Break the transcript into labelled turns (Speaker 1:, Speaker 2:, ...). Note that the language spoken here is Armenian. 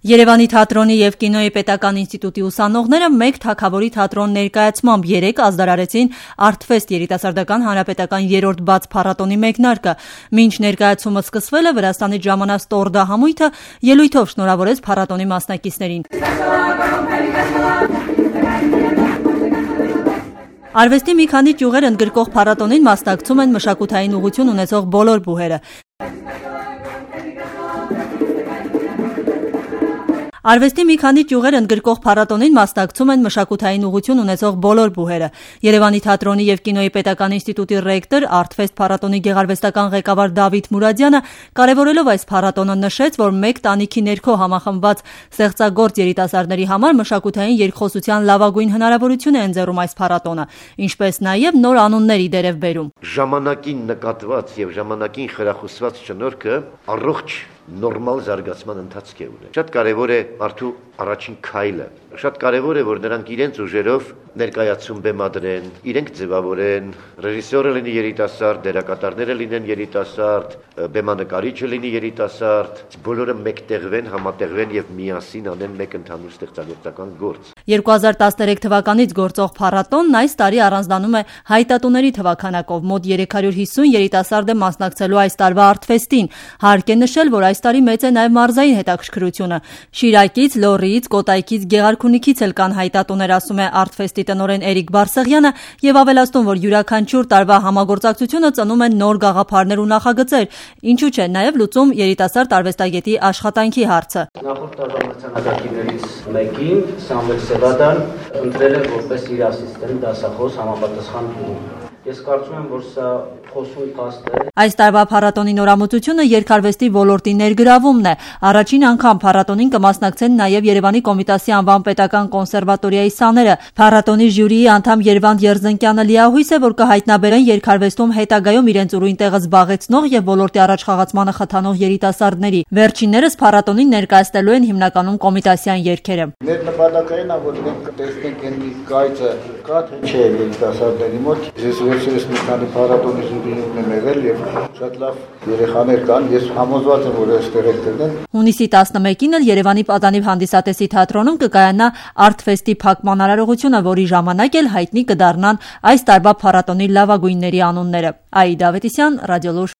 Speaker 1: Երևանի թատրոնի և կինոյի պետական ինստիտուտի ուսանողները մեկ թագավորի թատրոն ներկայացմամբ երեկ ազդարարեցին Artfest երիտասարդական հանրապետական 3-րդ բաց փառատոնի մեկնարկը։ Մինչ ներկայացումը սկսվել է, Վրաստանից ժամանած Տորդա համույթը ելույթով շնորհավորեց փառատոնի մասնակիցներին։ Արվեստի մի քանի ճյուղեր ընդգրկող փառատոնին մասնակցում են մշակութային ուղղություն ունեցող բոլոր բուհերը։ Արվեստի մի քանի ճյուղեր ընդգրկող փառատոնին մասնակցում են մշակութային ուղղություն ունեցող բոլոր բուհերը։ Երևանի թատրոնի և կինոյի պետական ինստիտուտի ռեկտոր, Artfest փառատոնի գեղարվեստական ղեկավար Դավիթ Մուրադյանը կարևորելով այս փառատոնը նշեց, որ մեկ տանիքի ներքո համախմբված ստեղծագործ երիտասարդների համար մշակութային երկխոսության լավագույն հնարավորություն է ընձեռում այս փառատոնը, ինչպես նաև նոր անուններ ի դերև բերում։
Speaker 2: Ժամանակին նկատված և ժամանակին խրախուսված շնորհքը առողջ նորմալ զարգացման ընթացք է ունենում։ Շատ կարևոր է մարդու առաջին քայլը։ Շատ կարևոր է, որ նրանք իրենց ուժերով ներկայացում բեմադրեն, իրենք ձևավորեն, ռեժիսորը լինի երիտասարդ, դերակատարները լինեն երիտասարդ, բեմանկարիչը լինի երիտասարդ, բոլորը մեկտեղվեն, համատեղվեն եւ միասին անեն մեկ ընդհանուր ստեղծագործական գործ։
Speaker 1: 2013 թվականից գործող փառատոնն այս տարի առանձնանում է հայտատուների թվաքանակով։ Մոտ 350 երիտասարդ է մասնակցելու այս տարվա Artfest-ին։ Հարկ է նշել, որ այս տարի մեծ է նաև մարզային հետաքրքրությունը։ Շիրակից, Լոռիից, Կոտայքից, Գեղարքունիքից էլ կան հայտատուներ, ասում է Artfest-ի տնօրեն Էրիկ Բարսեղյանը եւ ավելացնում, որ յուրաքանչյուր տարվա համագործակցությունը ծնում է նոր գաղափարներ ու նախագծեր, ինչու՞ չէ նաև լուծում երիտասարդ արվեստագետի աշխատանքի հարցը։
Speaker 3: Նախորդ տարվա մրցանակակիրներից մեկին Սամվել Սևադան ընտրել է որպես իր ասիստենտ դասախոս համապատասխան տուն։ Ես կարծում եմ, որ սա խոսուն փաստ է։
Speaker 1: Այս տարվա փառատոնի նորամուծությունը երկարվեստի ոլորտի ներգրավումն է։ Առաջին անգամ փառատոնին կմասնակցեն նաև Երևանի Կոմիտասի անվան պետական կոնսերվատորիայի սաները։ Փառատոնի ժյուրիի անդամ Երվանդ Երզնկյանը լիահույս է, որ կհայտնաբերեն երկարվեստում հետագայում իրենց ուրույն տեղը զբաղեցնող եւ ոլորտի առաջխաղացմանը խթանող երիտասարդների։ Վերջիններս փառատոնին ներկայացնելու են հիմնականում կոմիտասյան երգերը։
Speaker 4: Մեր նպատակային է, որ մենք տեսնենք այն կայծը կա թե չէ երիտասարդների մոտ։ Ես վերջերս մի քանի փառատոնի ժյուրի ունեմ եղել եւ շատ լավ երեխաներ կան, ես համոզված եմ, որ այստեղ էլ կլինեն։
Speaker 1: Հունիսի 11-ին էլ Երևանի Պատանիվ հանդիսատեսի թատրոնում կկայանա Artfest-ի փակման արարողությունը, որի ժամանակ էլ հայտնի կդառնան այս տարվա փառատոնի լավագույնների անունները։ Աիդա Ավետիսյան, Ռադիոլուր։